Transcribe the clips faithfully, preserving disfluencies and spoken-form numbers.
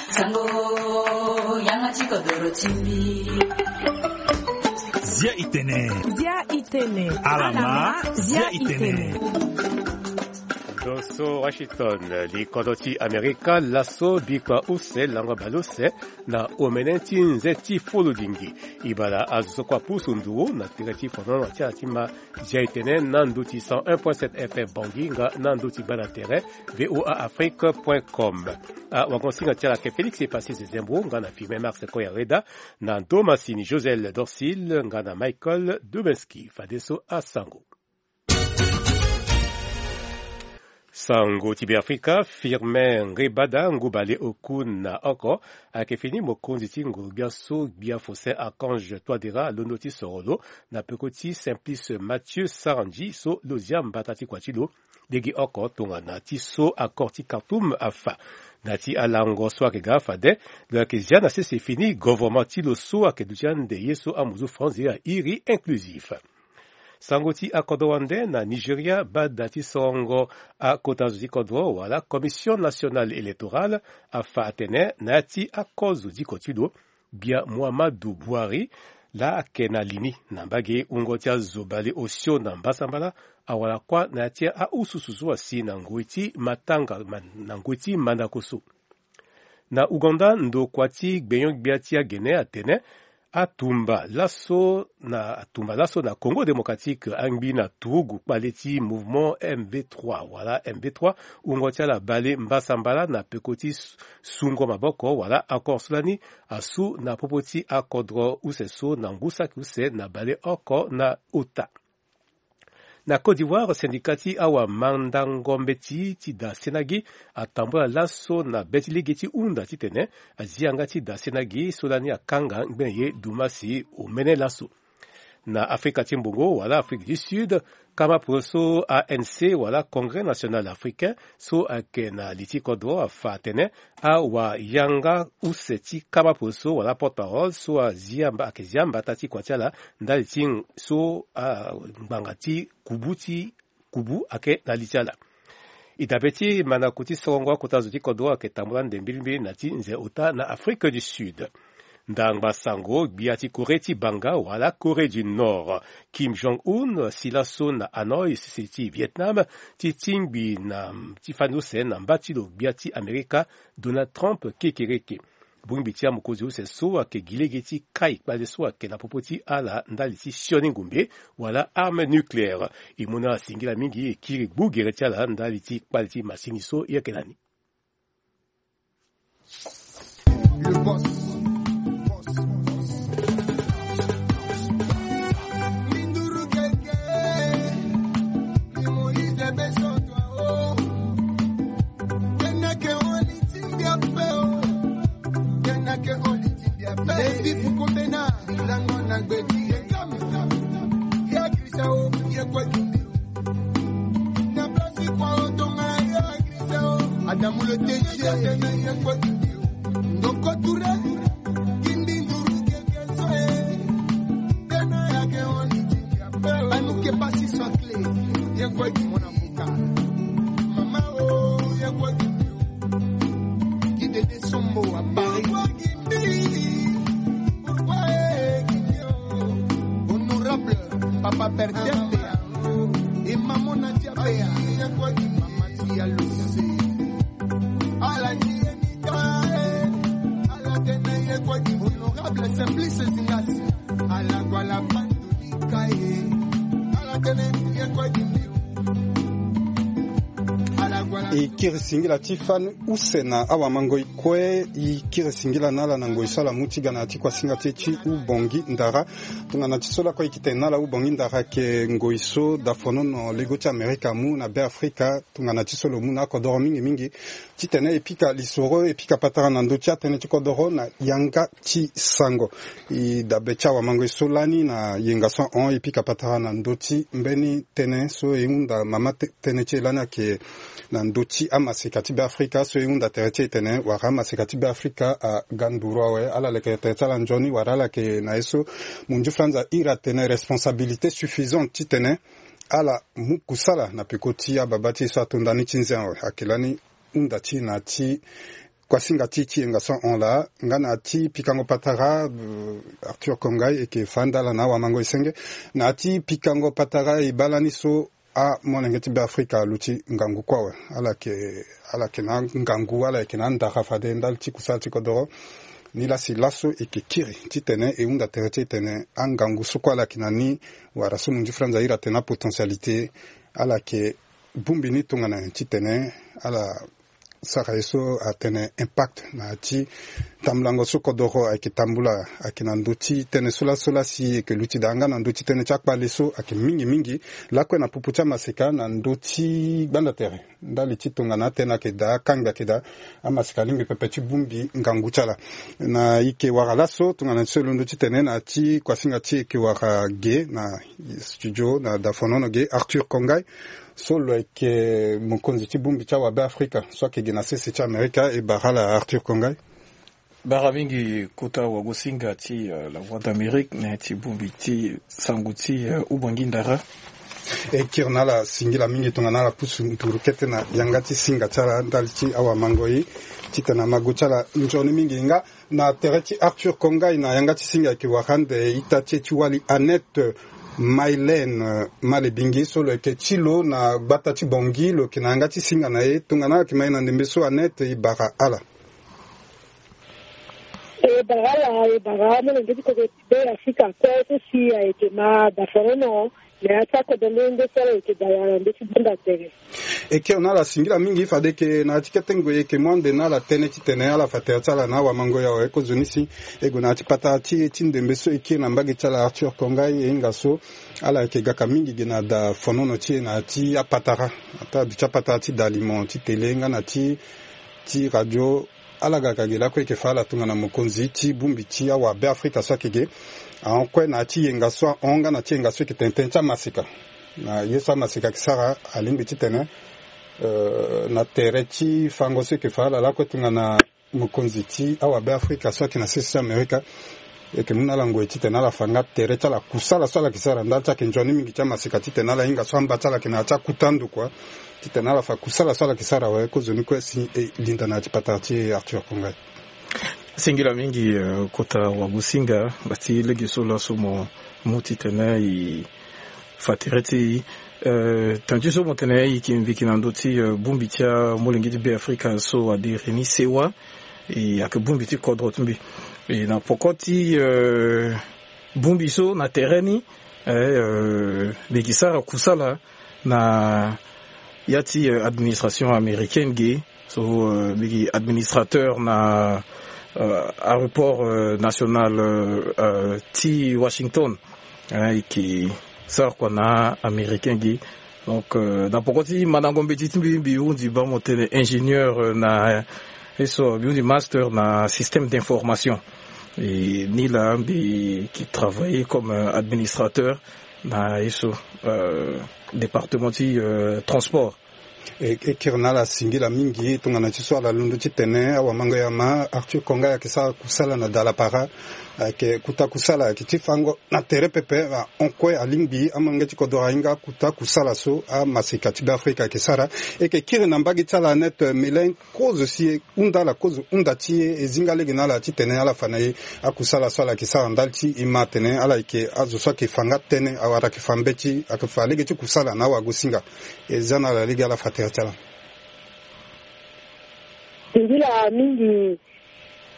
Sango, yanga ti kodoro ti mbi. Zia i tene. Zia i tene. Alama, zia i tene. Ndo so Washington, li kodro ti Amerika, laso bikua use lango bale use na omene ti nze ti fulu lingi. E bale azo so kue apusu ndugu na tere ti fonono ti ala ti ma. Zia e tene na ndö ti cent un point sept F M Bangui nga na ndö ti gbanda tere V O A Afrique point com. Awagosinga ti ala ayeke Félix Epassi Zezembo nga na Firmin Marc Koyareda, na ndo masini Josel Dorsil nga na Michael Dubenski. Fadeso asango. Sango ti Beafrika, Firmin Ngebada, ngu bale oku na oko, ayeke fini mokonzi ti nguru-gbia so gbia Faustin Archange Touadéra alondo ti soro lo na peko ti Simplice Mathieu Sarandji so lo zia mbata ti kua ti lo lege oko tongana ti so accord ti Khartoum afa. Na ti alango so ayeke ga fade, lo yeke zia na sese fini govornement ti lo so ayeke duti ande ye so amuzu France ye airi inclusif. Sango ti akodro wande na Nigeria, bada ti sorongo akota zo ti kodro wala Commission Nationale Électorale afa atene na ya ti akozo diko ti lo, gbia Muhammadu Buhari, laa ayeke na li ni na mbage wungo ti azo bale osio na mbasambala, awara kuâ na ya ti aususu so asi na ngoi ti matanga ma- na ngoi ti mandako so. Na Ouganda, ndokua ti gbenyo-gbia ti agene atene atumba laso na atumba laso na Congo Démocratique angbi na turugu kpale ti mouvement M V trois wala M V trois, wungo ti ala bale mbasambala na peko ti s- sungo maboko wala accord so lani asu na popo ti akodro use so na ngu saki use na bale oko na ota. Na Côte d'Ivoire, syndicat ti awamandango mbeti ti da senagi atambula laso na be ti lege ti hunda titene azi yanga ti da senagi so lani akanga ngbene ye dumasi omene laso. Na Afrika ti mbongo wala Afrique du Sud, kama poroso A N C wala Congrès National Africain so ayeke na li ti kodro afa atene awayanga use ti kama poroso wala porte-parole so azi amba- ayeke zi ambata ti kua ti ala ndali ti so angbanga ti kubu ti kubu ayeke na li ti ala. E dabe ti mandako ti sorongo akota zo ti kodro ayeke tambula ande mbilimbili na ti nze ota na Afrique du Sud. Ndangba sango, gbia ti Corée ti banga wala Corée du Nord, Kim Jong-un, si laso na Hanoï, sese ti Vietnam, ti tingbi na ti fani use na mba ti lo gbia ti Amerika, Donald Trump, kekereke. Bongbi ti amokonzi use so ayeke gi lege ti kai kpale so ayeke na popo ti ala ndali ti sioni ngumbe wala arme nucléaire. E mu na ala singila mingi, e kiri gbu gere ti ala ndali ti kpale ti masini so e yeke na ni. Le boss. Minduru keke, ni Moïse Besoto, oh. Kena ke oli timbia pe, oh. Kena ke oli timbia pe. Levi Fukomena, lango na gbeti ye kam. Ya Christian, oh, ye kwa kimbi. Na place kwa otonga ya Christian. Adamu le T G. Ndoko Touré. Kindi nduru keke so e. Tena ya ke oni ti ya pe. Anu ke pasi so clé. Ye kwa ki mona muka. Mama o, ye kwa ki. Ki de de sombo à Paris. Honorable Papa Bertin Bea et Maman Nadia Bea, Mama Tia Luce. Ala ni ye ni ka e, ala tene ye kwa di. Honorable Simplice Zingasi, ala kwa la pandu ni ka e, ala tene ye kwa di. E kiri singila ti fani use na awamangoi kue. E kiri singila na ala na ngoi so ala mu ti ga na ya ti kuasinga ti e ti Ubongi Ndara. Tongana ti so lakue e yeke tene na ala, Ubongi Ndara ayeke ngoi so dafonono lego ti Amerika amu na Beafrika. Tongana ti so lo mu na akodoro mingi mingi titene e pika lisoro, e pika patara na ndö ti atënë ti kodoro na yanga ti sango. E dabe ti awamangoi so lani na yenga so ahon, e pika patara na ndö ti mbeni tënë so e hunda mama te- tënë ti e lani ayeke na ndö ti amaseka ti Beafrika so e hunda tere ti e tene wara amaseka ti Beafrika aga nduru awe. Ala leke tere ti ala nzoni wala ala yeke na ye so mondio franza ahiri atene responsabilité suffisante titene ala mu kusala na peko ti ababa ti e so ato ndani ti nze awe. Ayeke lani hunda ti na ti kuasinga ti ti yenga so ahon laa nga na ti pikango patara. Arthur Kongai eke fa ndala na awamango esenge na ti pikango patara e baa lani so amolenge ti Beafrika aluti ngangu kue awe. Ala yeke ala yeke na ngangu ala yeke na andara fade ndali ti kusala ti kodoro. Ni lasi laso eke kiri titene e hunda tere ti e tene angangu so kue ala yeke na ni wala so munzu franza ahiri atene apotentialité ala yeke bongbi ni tongana nyen titene ala sara ye so atene impact na ya ti tambulango so kodoro ayeke tambula ayeke na ndö ti tënë so laso lasi eke luti daa nga na ndö ti tënë ti akpale so ayeke mingi mingi lakue na popo ti amaseka na ndö ti gbanda tere ndali ti tongana atënë ayeke daa akangbi ayeke daa amaseka alingbi pepe ti bongbi ngangu ti ala. Na eke wara laso tongana ti so e londo ti tene na ya ti kuasinga ti eke wara ge na studio na dafonono ge Arthur Kongai so lo yeke mokonzi ti bongbi ti awabe Afrika so ayeke gi na sese ti Amerika e bara ala Arthur Kongai. Bara mingi kota wagosinga ti euh, la voix d'Amérique na ya ti bongbi ti sango ti euh, ubangui ndara. E kiri na ala singila mingi tongana ala pusu nduru kete na yanga ti singa ti ala ndali ti awamango ye titene amago ti ala nzoni mingi nga na tere ti Arthur Kongai na yanga ti singa ayeke wara ande ita ti e ti wali Annette Mailene Malebingi so lo yeke ti lo na gbata ti Bangui lo yeke na yanga ti singa na e tongana ayeke ma e na ndembe so Annette e bara ala. E bara ala e bara amolenge ti kodro ti be Afrika kue so si ayeke ma dafonono na ya ti akodro nde nde so ala yeke dala na ndö ti gbanda tere. E kiri na ala singila mingi fade yeke na ya ti kete ngoi e yeke mu ande na ala tënë titene ala fa tere ti ala na awamango ya awe kozoni si e gue na ya ti patara ti e ti ndembe so e kiri na mbage ti ala Arthur Kongai e hinga so ala yeke gaka mingi gi na dafonono ti e na ya ti apatara ata aduti apatara ti dalimo ti tele nga na ti ti radio. Ala ga ka gi lakue e yeke fa ala tongana mokonzi ti bongbi ti awabe Afrika so ayeke ge ahon kue na ya ti yenga so ahon nga na ti yenga so e yeke tene tënë ti amaseka. Na ye so amaseka ayeke sara alingbi titene euh, na tere ti fango so e yeke fa ala lakue tongana mokonzi ti awabe Afrika so ayeke na sese ti Amerika. E yeke mu na ala ngoi titene ala fa nga tere ti ala kusala so ala yeke sara ndali ti ayeke nzoni mingi ti amaseka titene ala hinga so amba ti ala yeke na ya ti akuta ndo kua titene ala fa kusala so ala yeke sara awe kozoni kue si e linda na ya ti patara ti e Arthur Kongai. Singila mingi euh, kota wagosinga nga ti lege so laso mo mu titene e fa tere ti e euh, tënë ti so mo tene e yeke mbi yeke na ndö ti euh, bongbi ti amolenge ti be Afrika so adiri ni sewa. E ayeke bongbi ti kodro ti mbi e na poko ti euh, bongbi so na tere ni eh, euh, mbi yeke sara kusala na ya ti euh, administration américaine ge so euh, mbi yeke administrateur na euh, aéroport euh, national euh, euh, ti Washington. Eh, e yeke sara kua na américain ge. Donc euh, na poko ti mandango mbeti ti mbi mbi hundi baa mo tene ingénieur euh, na ye so mbi hundi master na système d'information. E ni laa mbi yeke travailler comme euh, administrateur na ye so euh, département ti euh, transport. E, e kiri na ala singila mingi tongana ti so ala londo ti tene awamango ya ma Arthur Kongai ayeke sara kusala na dalapara. Ayeke kuta kusala ayeke ti fango na tere pepe ahon kue alingbi amolenge ti kodro ahinga akuta kusala so amaseka ti be Afrika ayeke sara. E yeke kiri na mbage ti ala Annette Mailene kozo si e hunda ala kozo hunda ti e e zinga lege na ala titene ala fa na e akusala so ala yeke sara ndali ti e ma atene ala yeke azo so ayeke fa nga tënë awara ayeke fa mbeti ayeke fa lege ti kusala na awagosinga. E za na ala lege ala fa tere ti ala. Singila mingi.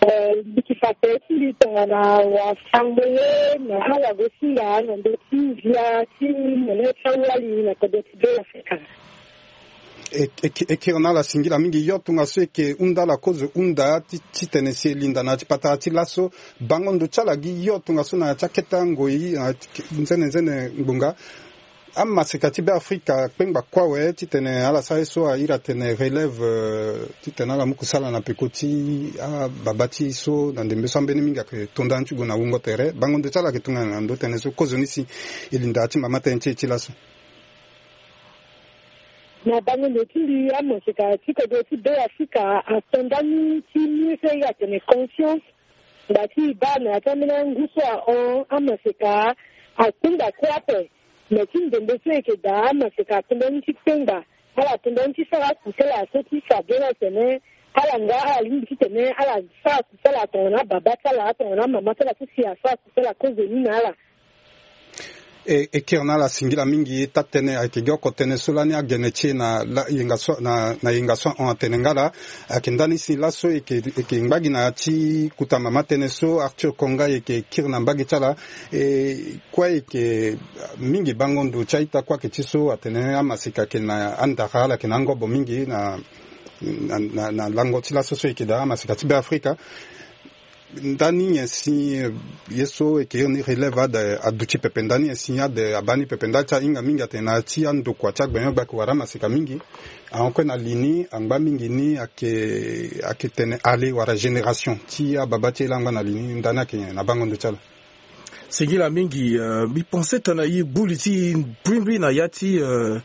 Eh, mbi yeke fa tere ti mbi tongana wasango ye na awagosinga na ndö ti ndia ti mene ti awali na kodro ti be Afrika. E, e, e kiri na ala singila mingi yo tongaso e yeke hunda ala kozo hunda ti, titene si e linda na ya ti patara ti laso bango ndo ti ala gi yo tongaso na ya ti akete angoi na nzene nzene ngbonga. Amaseka ti be Afrika kpengba kue awe titene ala sara ye so ahiri atene relève euh, titene ala mu kusala na peko ti ababa ti e so na ndembe so ambeni mingi ayeke to ndani ti gue na wungo tere bango ndo ti ala ayeke tongana na ndö tënë so kozoni si e linda ya ti mama tënë ti e ti laso. Na bango ndo ti mbi amaseka ti kodro ti be Afrika ato ndani ti mu ye so e hiri atene conscience. Nda ti e baa na ya ti ambeni angu so ahon amaseka akpengba kue ape. Me ti ndembe so e yeke daa amaseka ato ndani ti kpengba. Ala tondani ti sara kusala so ti fa bien atene ala nga ala lingbi titene ala sara kusala tongana ababa ti ala tongana amama ti ala so si asara kusala kozoni na ala. E, e kiri na ala singila mingi taa-tënë ayeke gi oko tënë so lani agene ti e na la, yenga so, na, na yenga so ahon atene nga laa. Ayeke ndani si laso e yeke, e yeke ngba gi na ya ti kuta mama tënë so Arthur Konga e yeke kiri na mbage ti ala. E kue e yeke mingi bango ndo ti a-ita kue ayeke ti so atene amaseka ayeke na andara ala ayeke na angobo mingi na, na, na, na lango ti laso so e yeke daa amaseka ti Beafrika. Ndani nyen si, eh, ye so e yeke iri ni relève ade aduti pepe, ndani nyen si ade abaa ni pepe, ndali ti ahinga mingi atene na ya ti andokua ti agbenyo-gbe ayeke wara amaseka mingi. Ahon kue na li ni angba mingi ni ayeke, ayeke tene ale wala génération ti ababa ti e laa angba na li ni, ndani ayeke nyen na bango ndo ti ala? Singila mingi, euh, mbi pense tongana e gbu li ti e mbrimbri na ya ti, euh,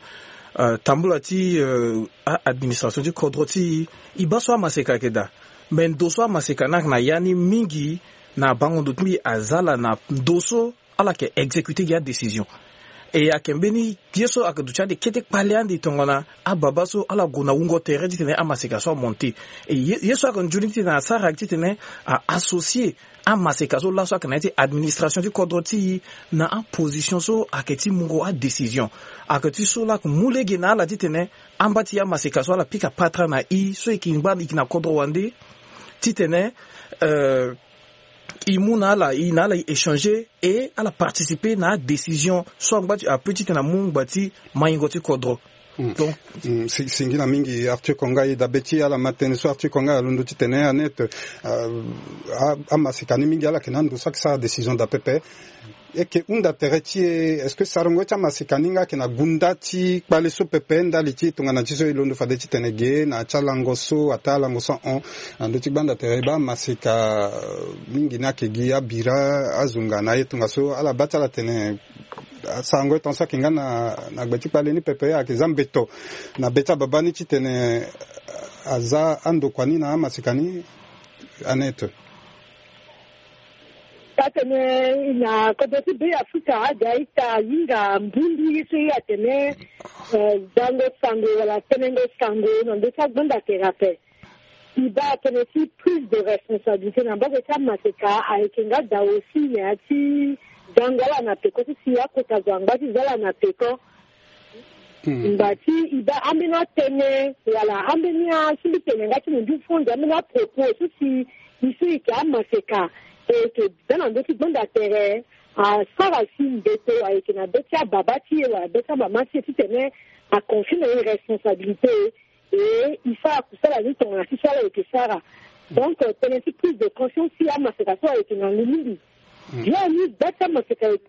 euh, tambula ti, euh, a-administration ti kodro ti e, e baa so amaseka ayeke daa. Me ndo so amaseka ni ayeke na ya ni mingi na bango ndo ti mbi aza ala na ndo so ala yeke exécuter gi adécision. E ayeke mbeni ye so ayeke duti ande kete kpale ande tongana ababa so ala gue na wungo tere titene amaseka so amonte. E ye, ye so ayeke nzoni titene asara ayeke titene a associer amaseka so laso ayeke na ya ti administration ti kodro ti e na aposition so ayeke ti mungo adécision. Ayeke ti so laa ayeke mu lege na ala titene amba ti amaseka so ala pika patara na e so e yeke ngba e yeke na kodro wande titene, euh, e mu na ala, e na ala e échanger et ala participer na adécision so angba ti ape titene amu ngba ti mayingo ti kodro. Mm. Donc, mm, si, singila mingi Arthur Konga. E dabe ti ala ma tënë so Arthur Konga alondo titene Annette, euh, a, amaseka ni mingi ala yeke na ando so ayeke sara décision daa pepe. E yeke hunda tere ti e, est-ce que sarango ti amaseka ni nga ayeke na gunda ti kpale so pepe ndali ti tongana ti so e londo fade titene ge na ya ti alango so ataa alango so ahon na ndö ti gbanda tere e baa amaseka, euh, mingi ni ayeke gi abira, azunga na aye tongaso ala baa ti ala tene, ah, sarango e tongaso ayeke nga na, na gbe ti kpale ni pepe ayeke za mbeto na be ti ababa ni titene, ah, aza andokua ni na amaseka ni, Annette. Atene na kodro ti Beafrika aga ita ahinga mbundu ye so ye atene, eh, zango sango wala tenengo sango na ndö ti agbanda tere ape. E baa atene ti prise de responsabilité na mbage ti amaseka ayeke nga daa aussi na ya ti zango ala na peko so si akota zo angba ti za ala na peko. Hmm. Ngba ti e baa ambeni atënë wala ambeni a, si mbi tene nga ti mo ndu fo nze, ambeni apropos so si e so e yeke amaseka e yeke za na ndö ti gbanda tere, asara si mbeto ayeke na be ti ababa ti e wala be ti amama ti e titene aconfie na e responsabilité. E e sara kusala ni tongana ti so ala yeke sara. Donc, euh, tënë ti prise de conscience ti amaseka so ayeke ngangu mingi. Hmm. Bien ni gba ti amaseka ayeke.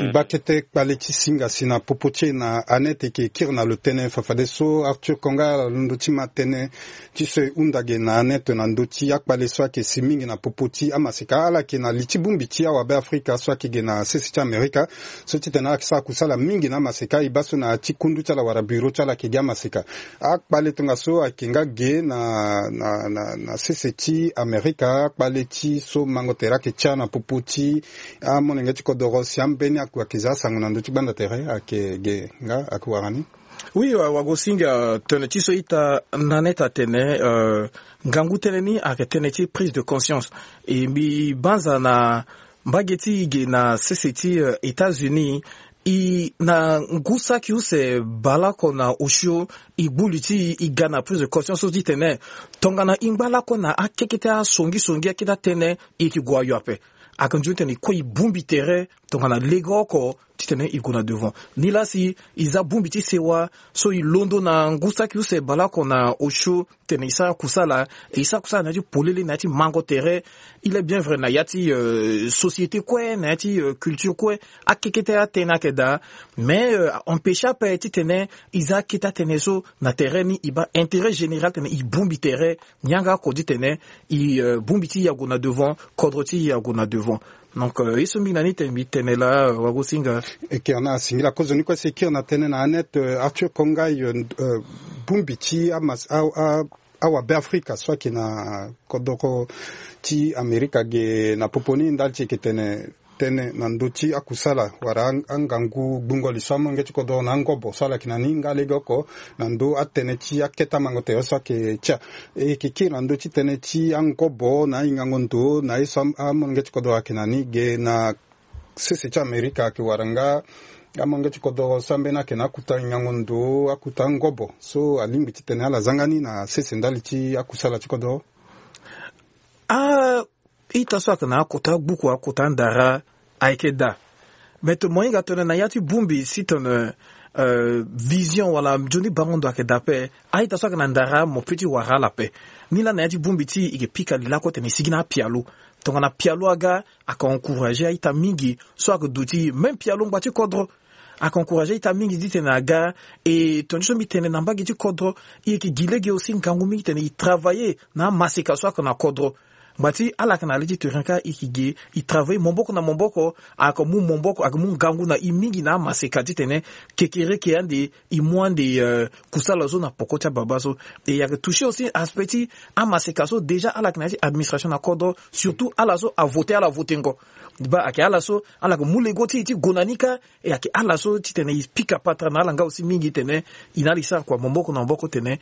E baa kete kpale ti singa si na popo ti e na Annette e yeke kiri na lo tënë fafadeso Arthur Konga alondo ti ma tënë ti so e hunda ge na Annette na ndö ti akpale so ayeke si mingi na popo ti amaseka. Ala yeke na li ti bongbi ti awabe Afrika so ayeke ge na sese ti Amerika so titene ala yeke sara kusala mingi na amaseka. E baa so na ya ti kundu ti ala wala bureau ti ala ayeke gi amaseka. Akpale tongaso ayeke nga ge na, na, na, na sese ti Amerika, akpale ti so mango tere ayeke tia na popo ti amolenge ti kodoro si ambeni akua ayeke za asango na ndö ti gbanda tere ayeke ge nga ayeke wara ni. Oui, wa, wagosinga tene ti so ita na neta tene, euh, ngangu tënë ni ayeke tënë ti prise de conscience. E mbi banza na mbage ti e ge na sese ti, euh, États-Unis, e na ngu saki use baleoko na osio, e gbu li ti e, e ga na prise de conscience so ti tene tongana e ngba lakue na akekete asongisongi akete atënë, e yeke gue ayo ape. Ayeke nzoni tene e kue e bongbi tere tongana legeoko titene e gue na devant. Nilaa si e za bongbi ti sewa so e londo na ngu saki use baleoko na osio tene e sara kusala, e sara kusala na ya ti polele, na ya ti mango tere. Il est bien vrai na ya ti, euh, société kue, na ya ti, euh, culture kue, akekete atënë ayeke daa. Mais, euh, empêche ape titene e za akete atënë so na tere ni, e baa intérêt général tene e bongbi tere, yanga oko ti tene e, euh, bongbi ti e ague na devant, kodro ti e ague na devant. Donc, euh, ye so mingi na ni tene mbi tene laa, euh, wagosinga. E kiri na asingila kozoni kue si e kiri na tënë na Annette, euh, Arthur Konga, euh, euh, bongbi ti amas-, a, a, awabe Afrika so ayeke na kodoro ti Amerika ge na popo ni ndali ti e yeke tene tënë na ndö ti akusala wala angangu gbungo li so amolenge ti kodro na angobo so ala yeke na ni nga legeoko na ndö atënë ti akete amango tere so ayeke tia. E yeke kiri na ndö ti tënë ti angobo na ahingango ndo na ye so amolenge ti kodro ayeke na ni ge na sese ti Amerika ayeke wara nga amolenge ti kodro so ambeni ayeke na akuta hingango ndo akuta angobo so alingbi titene ala zanga ni na sese ndali ti akusala ti kodro. Ah, ita so ayeke na akota gbuku akota ndara ayeke daa. Me tene mo hinga tene na ya ti bongbi si tene vision wala nzoni bango ndo ayeke daa ape. A-ita so ayeke na ndara mo pe ti wara ala ape. Nilaa na ya ti bongbi ti e yeke pika li lakue tene e sigi na apialo. Tongana pialo aga ayeke encourager a-ita mingi so ayeke duti même pialo ngba ti kodro. Ayeke encourager a-ita mingi titene aga. E tongana so mbi tene na mbage ti kodro, e yeke gi lege aussi ngangu mingi titene e travailler na amaseka so ayeke na kodro. Ngba ti ala yeke na le ti terrain kâ e yeke gi e travailler maboko na maboko. Ayeke mu maboko ayeke mu ngangu na e mingi na amaseka titene kekereke ande e mu ande kusala so na poko ti ababa so. E ayeke toucher aussi aspect ti amaseka so déjà ala yeke na ya ti administration na kodro, surtout ala so avote ala votengo. Ba ayeke ala so ala yeke mu lego ti e ti gue na ni kâ. E ayeke ala so titene e pika patara na ala nga aussi mingi tene e na ala e sara kua maboko na maboko tene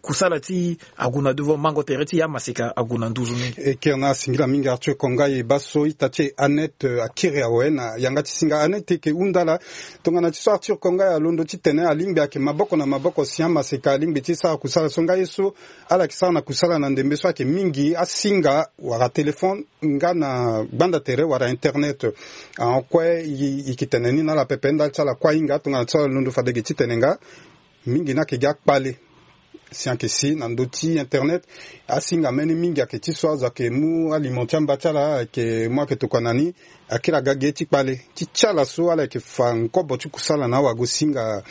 kusala ti e ague na devant mango tere ti e amaseka ague na nduzu mingi. E kiri na ala singila mingi Arthur Konga e baa so ita ti e Annette akiri awe na yanga ti singa. Annette e yeke hunda ala tongana ti so Arthur Konga e alondo titene alingbi ayeke maboko na maboko si amaseka alingbi ti sara kusala so nga ye so ala yeke sara na kusala na ndembe so ayeke mingi asinga wala téléphone nga na gbanda tere wala internet. Ahon kue e yeke tene ni na ala pepe ndali ti ala kue ahinga tongana ti so ala londo fade ge titene nga mingi ni ayeke gi akpale si ayeke si na ndö ti internet. Asinga mbeni mingi ayeke ti so azo ayeke mu aliment ti amba ti ala ayeke mu ayeke tokua na ni. Akiri aga ge ti kpale ti ti ala so ala yeke fa ngobo ti kusala na awagosinga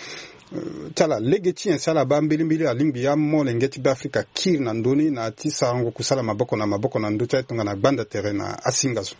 ti ala lege ti nyen si ala baa mbilimbili alingbi amolenge ti Beafrika akiri na ndö ni na ya ti sarango kusala maboko na maboko na ndö ti aye tongana gbanda tere na asinga so.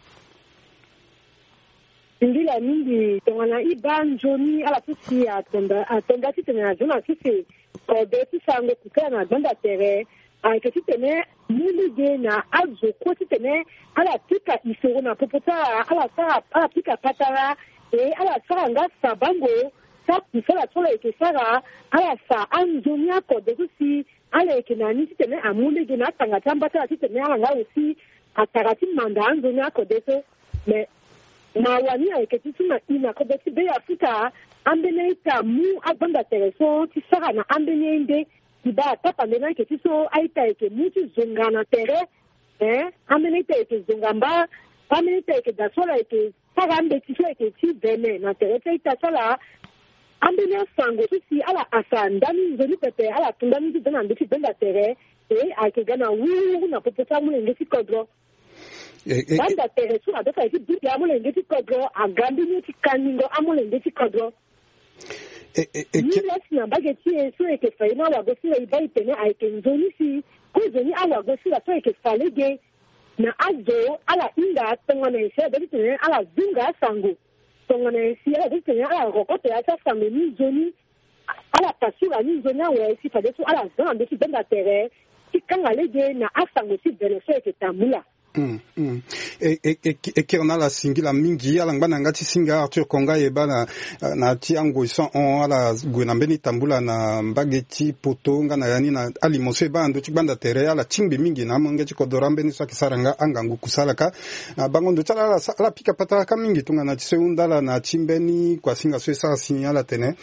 Singila mingi tongana e baa nzoni ala so si atonda atonda titene na zo na sese kode ti sarango kusala na gbanda tere ayeke titene mu lege na azo kue titene ala pika isoro na popo ti ala ala sara ala pika patara e ala sara nga sabango ti akusala so ala yeke sara ala fa anzoni akode so si ala yeke na ni titene amu lege na atanga ti amba ti ala titene ala nga aussi atara ti manda anzoni akode so. Me mawa ni ayeke ti so na i na kodro ti Beafrika ambeni a-ita amu agbanda tere so ti sara na ambeni a-inde. Ti baa tapande ni ayeke ti so a-ita ayeke mu ti zonga na tere. Ee, ambeni a-ita ayeke zonga mba. Ambeni a-ita ayeke daa so ala yeke sara ambeti so ayeke ti vene na tere ti a-ita so ala. Ambeni asango so si ala asa ndani nzoni pepe ala tu ndani ti da na ndö ti gbanda tere. E ayeke ga na wuru wuru na popo ti amolenge ti kodro. Gbanda tere so na be so ayeke ti bute amolenge ti kodro aga mbeni ye ti kaningo amolenge ti kodro. Ni lasi na mbage ti e so e yeke fa ye na awagosinga e baa e tene ayeke nzoni si kozoni awagosinga so ayeke fa lege na azo ala hinga tongana e si ala be titene ala zunga asango. Tongana e si ala be titene ala rokoto ya ti asango ni nzoni ala pasura ni nzoni awe si fadeso ala za na ndö ti gbenda tere ti kanga lege na asango ti vene so e yeke tambula. Mm, mm. E, e, e, e kiri na ala singila mingi ala ngba na yanga ti singa Arthur Konga Yeba na, na ti angoi so ahon ala gue na mbeni tambula na mbage ti poto nga na ya ni na alimo so e baa na ndö ti gbanda tere ala tingbi mingi na amolenge ti kodoro ambeni so ayeke sara nga angangu kusala kâ. Na bango ndo ti ala ala, ala pika patara kâ mingi tongana ti so e hunda ala na ti mbeni kuasinga so e sara si ala tene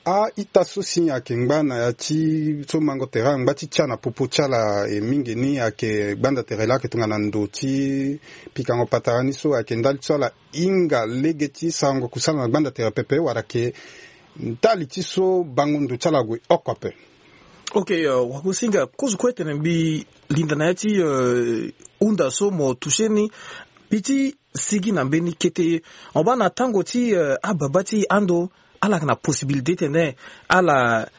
a-ita so si ayeke ngba na ya ti so mango tere angba ti tia na popo ti ala e mingi ni ayeke gbanda tere laa ayeke tongana ndo ti pikango patara ni so ayeke ndali ti so ala hinga lege ti sarango kusala na gbanda tere pepe wala ayeke ndali ti so bango ndo ti ala gue oko ape. Ok, euh, wagosinga kozo kue tene mbi linda na ya ti, euh, hunda so mo touche ni. Mbi ti sigi na mbeni kete. Mo baa na tango ti, euh, ababa ti ando ala yeke na possibilité tene ala,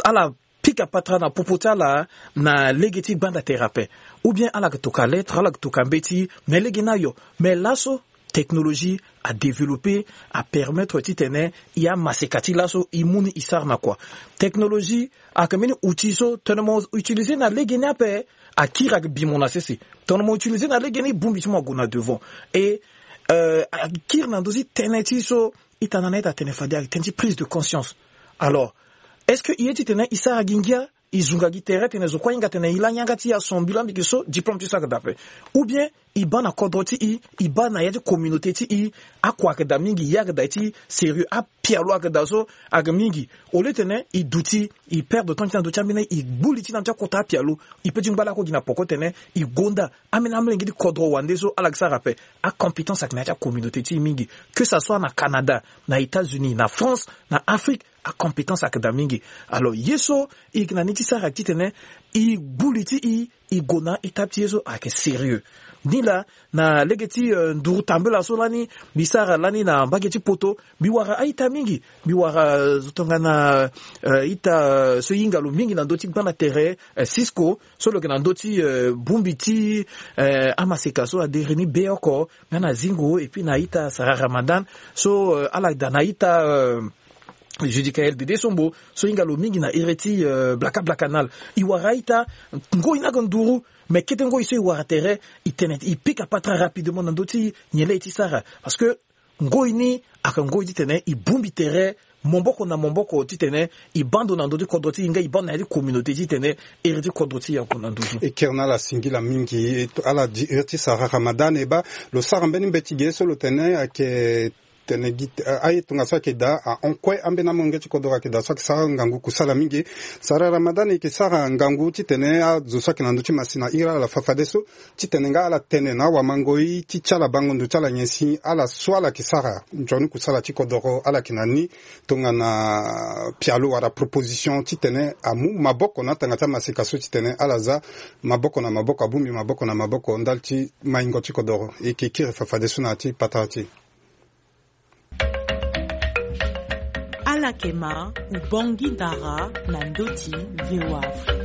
ala pika patara na popo ti ala na lege ti gbanda tere ape. Ou bien ala yeke toka lettre, ala yeke toka mbeti, me lege ni ayo. Me laso technologie a développé, a permettre titene e amaseka ti laso e mu ni e sara na kua. Technologie ayeke mbeni outil so tongana mo utiliser na lege ni ape akiri ayeke bi mo na sese. Tongana mo utiliser na lege ni bongbi ti mo ague na devant. E euh, akiri na ndö ti tënë ti so ita na na ita tene fade ayeke tënë ti prise de conscience. Alors, est-ce que i ye titene i sara gi ngia, i zunga gi tere tene zo kue ahinga tene i la yanga ti i aso mbi la mbi yeke so diplôme ti so ayeke daa ape? Ou bien i baa na kodro ti i, i baa na ya ti communauté ti i, akua ayeke daa mingi, ya ayeke daa ti sérieux, apialo ayeke daa so ayeke mingi. Au lieu tene i duti, i perdre temps ti na ndö ti ambeni, i gbu li ti na ndö ti akota apialo, i peut ti ngba lakue gi na poko tene i gonda ambeni amolenge ti kodro wande so ala yeke sara ape. Acompétence ayeke na ya ti acommunauté ti i mingi, que ça soit na Canada, na États-Unis, na France, na Afrique, acompétence ayeke daa mingi. Alors ye so i yeke na ni ti sara titene i gbu li ti i, i gue na ita ti ye so ayeke sérieux. Ni laa, na lege ti, euh, nduru tambela so lani mbi sara lani na mbage ti poto, mbi wara a-ita mingi. Mbi wara, euh, zo tongana, euh, ita, euh, so e hinga lo mingi na ndö ti gbanda tere, euh, Cisco, so lo yeke na ndö ti, euh, bongbi ti, euh, amaseka so adiri ni Beoko nga na Zingo, et puis na ita Sara Ramadan so, euh, ala daa na ita, euh, Judicaël Dede Sombo so e hinga lo mingi na iri ti, euh, Blaka Blaka Nal. E wara a-ita, ngoi ni ayeke nduru, mais kete ngoi so e wara tere, e tene e pika patara rapidement na ndö ti nyen laa e ti sara. Parce que ngoi ni ayeke ngoi titene e bongbi tere maboko na maboko, titene e baa ndo na ndö ti kodro ti e nga e baa ndo na ya ti communauté titene iri ti kodro ti e ague na nduzu. E kiri na ala singila mingi, e to, ala di iri ti Sara Ramadan e baa lo sara mbeni mbeti ge so lo tene ayeke tene gi, a, aye tongaso ayeke daa, ahon kue ambeni amolenge ti kodro ayeke daa so ayeke sara ngangu kusala mingi. Sara Ramadan e yeke sara ngangu titene azo so ayeke na ndö ti masina iri ala fa fadeso titene nga ala tene na awamangoi ti ti ala bango ndo ti ala nyen si ala so ala yeke sara nzoni kusala ti kodoro ala yeke na ni tongana pialo wala proposition titene amu maboko na atanga ti amaseka so titene ala za maboko na maboko, abongbi maboko na maboko ndali ti maingo ti kodoro. E yeke kiri fa fadeso na ya ti patara ti e. Alakema, Ubangui Ndara, na ndö ti V O A Afrique.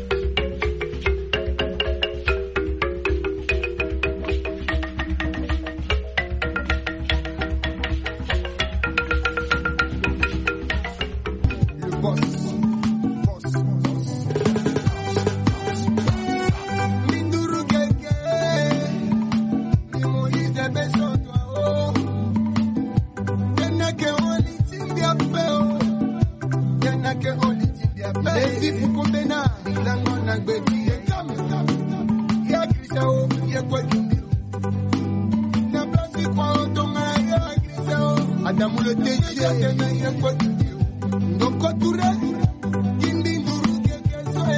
Adamu le T G. Ndoko Touré. Kimbi nduru keke so e.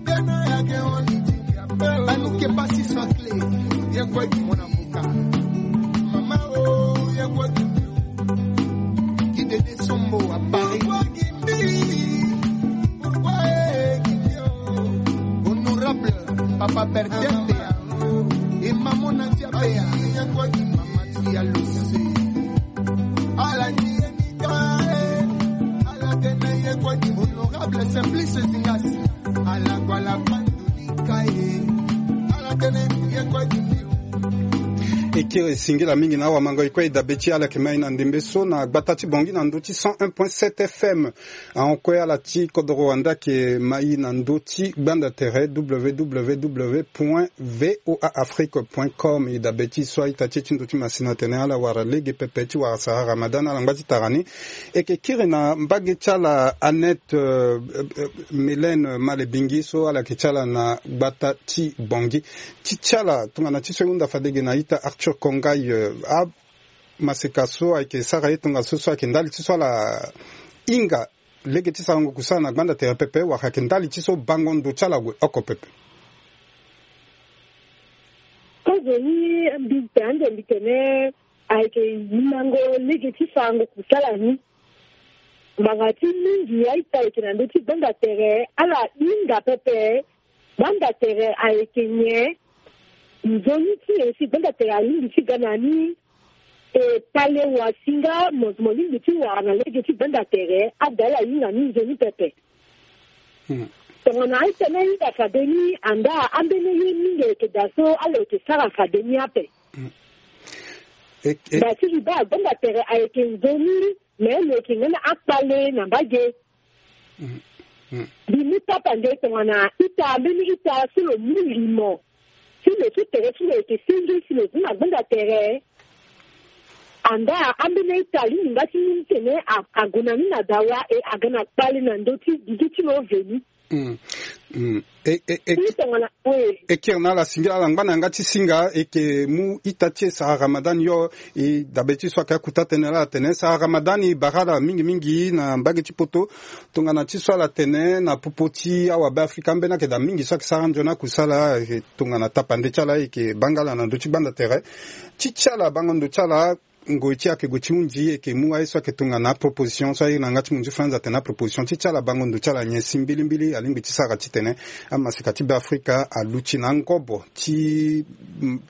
Tena ya ke on. Anou ke pasi sa clé. Ye kwe ki mona muka. Mama o, ye kwe ki. Ki Dede Sombo à Paris. Pourquoi Kimbi? Pourquoi Kimbi? Honorable Papa Bertin Bea. Et maman Nadia Bea. Ye kwe ki mama Tia Luce. Ala ni ye ni ka, eh. Ala tene ye kwe ki. Honorable Simplice Zingas. Ala kwa la pandu ni ka, eh. Ala tene ye kwe ki. E kiri singila mingi na awamango e kue e dabe ti ala yeke mai na ndembe so na gbata ti Bangui na ndö ti cent un point sept F M. Ahon kue ala ti kodoro wande ayeke mai na ndö ti gbanda tere W W W point V O A Afrique point com. E dabe ti so a-ita ti e ti ndö ti masina atene ala wara lege pepe ti wara sara Ramadan na ala ngba ti tara ni. E yeke kiri na mbage ti ala Annette, euh, euh, Mélène Malebingi so ala yeke ti ala na gbata ti Bangui. Ti ti ala tongana ti so e hunda fade ge na a-ita Arthur Kongaï, euh, amaseka so ayeke sara ye tongaso so ayeke ndali ti so ala hinga lege ti sarango kusala na gbanda tere pepe wala ayeke ndali ti so bango ndo ti ala gue oko pepe? Kozo ni mbi tene ande mbi tene ayeke hingango lege ti sarango kusala ni. Ngbanga ti mingi a-ita ayeke na ndö ti gbanda tere ala hinga pepe. Gbanda tere ayeke nyen? Nzoni ti nyen si gbanda tere alingbi ti ga na ni? E pale wasinga mo, mo lingbi ti wara na lege ti gbanda tere ada ala hinga ni nzoni pepe. Hmm. Tongana a-ita ni ahinga fade ni anda ambeni ye mingi ayeke daa so ala yeke sara fade ni ape. Hmm. E, e. Nda ti liba gbanda tere ayeke nzoni, me lo yeke nga na akpale na mbage. Mm, mm. Mbi mu tapande tongana ita, mbeni ita so lo mu limo ti lo ti tere ti lo yeke senge si lo zi na gbanda tere. Anda ambeni ita alingbi nga ti mu titene a- ague na ni na dawa e aga na kpale na ndö ti dudu ti lo veni. Mm. Mm. E, e, e, Ti tongana we. E kiri na ala singila ala ngba na yanga ti singa e yeke mu ita ti e Sara Ramadan yo. E dabe ti so ayeke akuta tënë laa atene Sara Ramadan e bara ala mingi mingi na mbage ti poto tongana ti so ala tene na popo ti awabe afrika ambeni ayeke daa mingi so ayeke sara nzoni akusala. E tongana tapande ti ala e yeke baa nga ala na ndö ti gbanda tere ti ti ala bango ndo ti ala. Ngoi ti e ayeke gue ti hunzi e yeke mu aye so ayeke tongana aproposition so aye na yanga ti munzu franz atene aproposition ti ti ala bango ndo ti ala nyen si mbilimbili alingbi ti sara titene amaseka ti be afrika aluti na angobo ti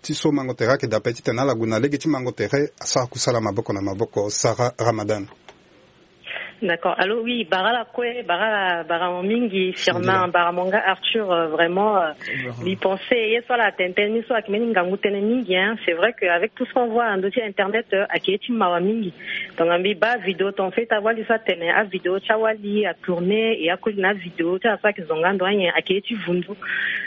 ti so mango tere ayeke daa ape titene ala gue na lege ti mango tere asara kusala maboko na maboko. Sara Ramadan. D'accord. Alors oui, bara la kue, bara la, bara mo mingi, Firmin, bara mo nga Arthur, euh, vraiment, euh, li pensé, ye so ala tene tënë ni so ayeke mbeni ngangu tënë mingi, hein. C'est vrai qu'avec tout ce qu'on voit na ndö ti internet, euh, ayeke ye ti mawa mingi. Donc, ambi baa vidéo ton fait awali so atene, avidéo ti awali atourné, et akoli na avidéo ti ala so ayeke zonga ndo anyen, ayeke ye ti vundu.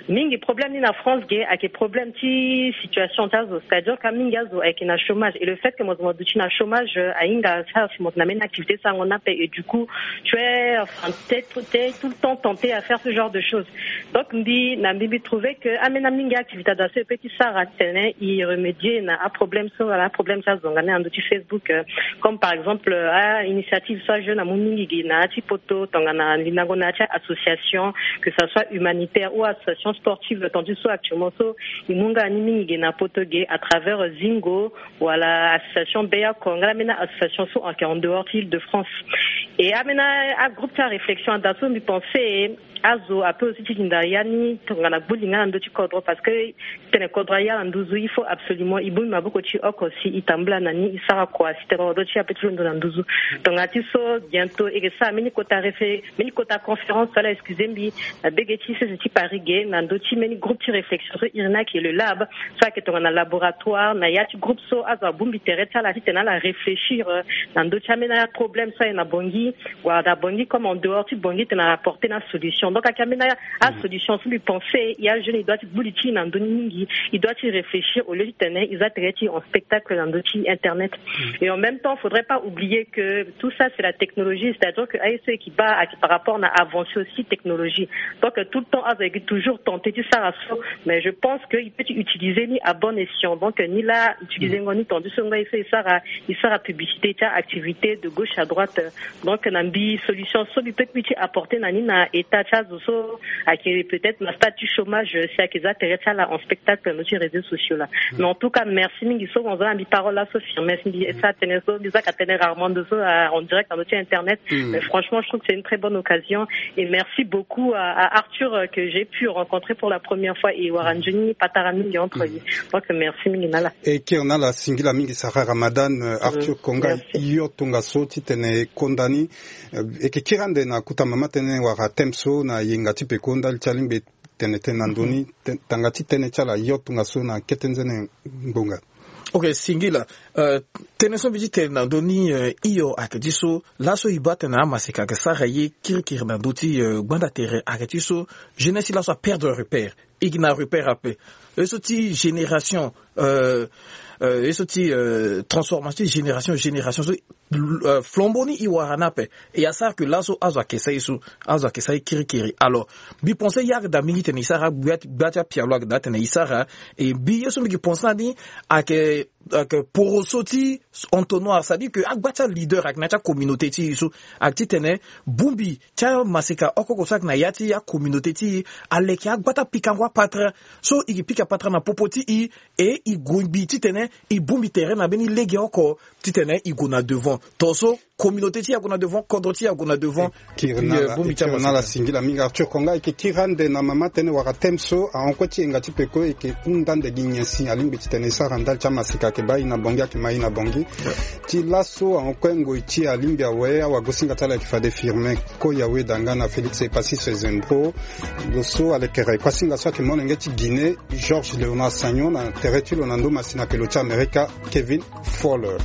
Mingi problème ni na France ge ayeke problème ti situation ti azo, c'est-à-dire ka mingi azo ayeke na chômage et le fait que mo zo mo duti na chômage, euh, ahinga ti ala si mo zo na mbeni activité ti sarango ni ape et du coup tu es, enfin, t'es, t'es tout le temps tenté à faire ce genre de choses. Donc mbi na mbi mbi trouver que ambeni amingi activité azo aso e peut ti sara titene e remédier na aproblème so wala aproblème ti azonga ni na ndö ti Facebook, euh, comme par exemple, euh, a initiative so ajeune amu mingi gi na ya ti poto tongana lindango na ya ti association, que ça soit humanitaire ou association sportive, tandis so actuellement so e mu nga ni mingi gi na poto gi à travers Zingo wala association Beya Kongala, ambeni association so ayeke en dehors ti Île-de-France. Et ambeni agroupe ti aréflexion ada so mbi pensé azo ape aussi ti linda ya ni tongana gbu linga na ndö ti kodro, parce que tene kodro aya na nduzu il faut absolument e bongbi maboko ti oko si e tambula na ni, e sara kua si tene kodro ti e ape ti londo na nduzu. Tongana ti so bientôt e ke sara mbeni kota refle mbeni kota conférence wala excusez mbi, na bege ti sese ti Paris ge na ndö ti mbeni groupe ti réflexion so iri ni ayeke le lab, so ayeke tongana laboratoire na ya ti groupe so azo abongbi tere ti ala titene ala réfléchir, euh, na ndö ti ambeni aproblème so aye na Bangui wala na Bangui comme en dehors ti Bangui titene ala porter na solution. Donc ayeke ambeni asolution so mbi pensé ya jeune e doit ti gbu li ti e na ndö ni mingi, e doit ti réfléchir au lieu titene e za tere ti e en spectacle na ndö ti internet. Et en même temps faudrait pas oublier que tout ça c'est la technologie, c'est-à-dire que aye so e yeke baa ayeke par rapport na avancée aussi technologie. Donc tout le temps azo ayeke toujours tenté ti sara so, mais je pense que e peut ti utiliser ni à bon escient. Donc ni laa utiliser ngo ni tandis so nga e so e sara e sara publicité ti activité de gauche à droite. Donc na mbi solution so mbi peut mbi ti apporter na ni na état ti azo so ayeke peut-être na stade ti chômage si ayeke za tere ti ala en spectacle na ndö ti réseaux sociaux là. Mais en tout cas merci mingi so mo za na mbi parole là so Firmin si mbi sara tënë so mbi zaka tënë rarement ndo so, euh, en direct na ndö ti internet. Mais franchement je trouve que c'est une très bonne occasion et merci beaucoup à, à Arthur, euh, que j'ai pu rencontrer pour la première fois et wara nzoni patara mingi entre ye. Donc merci mingi na ala. E kiri na ala singila mingi Sara Ramadan, euh, Arthur Konga. Yo tongaso titene e konda ni, euh, e ke kiri ande na kota mama tënë wala thème so na yenga ti peko ndali ti alingbi tene tënë na ndö ni, tanga ti tënë ti ala yo tongaso na kete nzene ngbonga. Ok, singila. Euh, tënë so mbi ti tene na ndö ni, euh, hio ayeke ti so laso e baa tene amaseka ayeke sara ye kirikiri na ndö ti, euh, gbanda tere ayeke ti so jeunesse ti laso aperdre repère. E gi na repère ape. Ye so ti génération, euh, euh, ye so ti, euh, transformation ti génération génération so, euh, flambeau ni e wara ni ape. E asara ke laso azo ayeke sara ye so, azo ayeke sara ye kirikiri. Alors mbi pense ye ayeke daa mingi tene e sara, gbia ti apialo ayeke daa tene e sara. E mbi ye so mbi yeke pense na ni ayeke, ayeke poroso ti entonnoir, c'est-à-dire que agba ti aleader ayeke na ya ti acommunauté ti e so ayeke titene bongbi ti amaseka oko oko so ayeke na ya ti acommunauté ti e aleke agba ti apikango apatara. So e ke pika patara na popo ti e, e e gue mbi titene e bongbi tere na mbeni lege oko titene e gue na devant. Tongaso communauté ti e ague na devant, kodro ti e ague na devant. Kiri na ala singila mingi Arthur Konga. E ke kiri ande na mama tënë wala thème so ahon kue ti yenga ti peko e ke hunda ande gi nyen si alingbi titene e sara ndali ti amaseka ayeke baa e na Bangui ayeke ma e na Bangui. Ti laso ahon kue ngoi ti e alingbi awe awagosinga ti ala ayeke fade Firmin Koyawe da nga na Félix Epassis Zembro. Lo so alekere kuasinga so ayeke molenge ti Guinée Georges Léonard Sagnon, na tere ti lo na ndo masina pelo ti Amerika Kevin Fowler.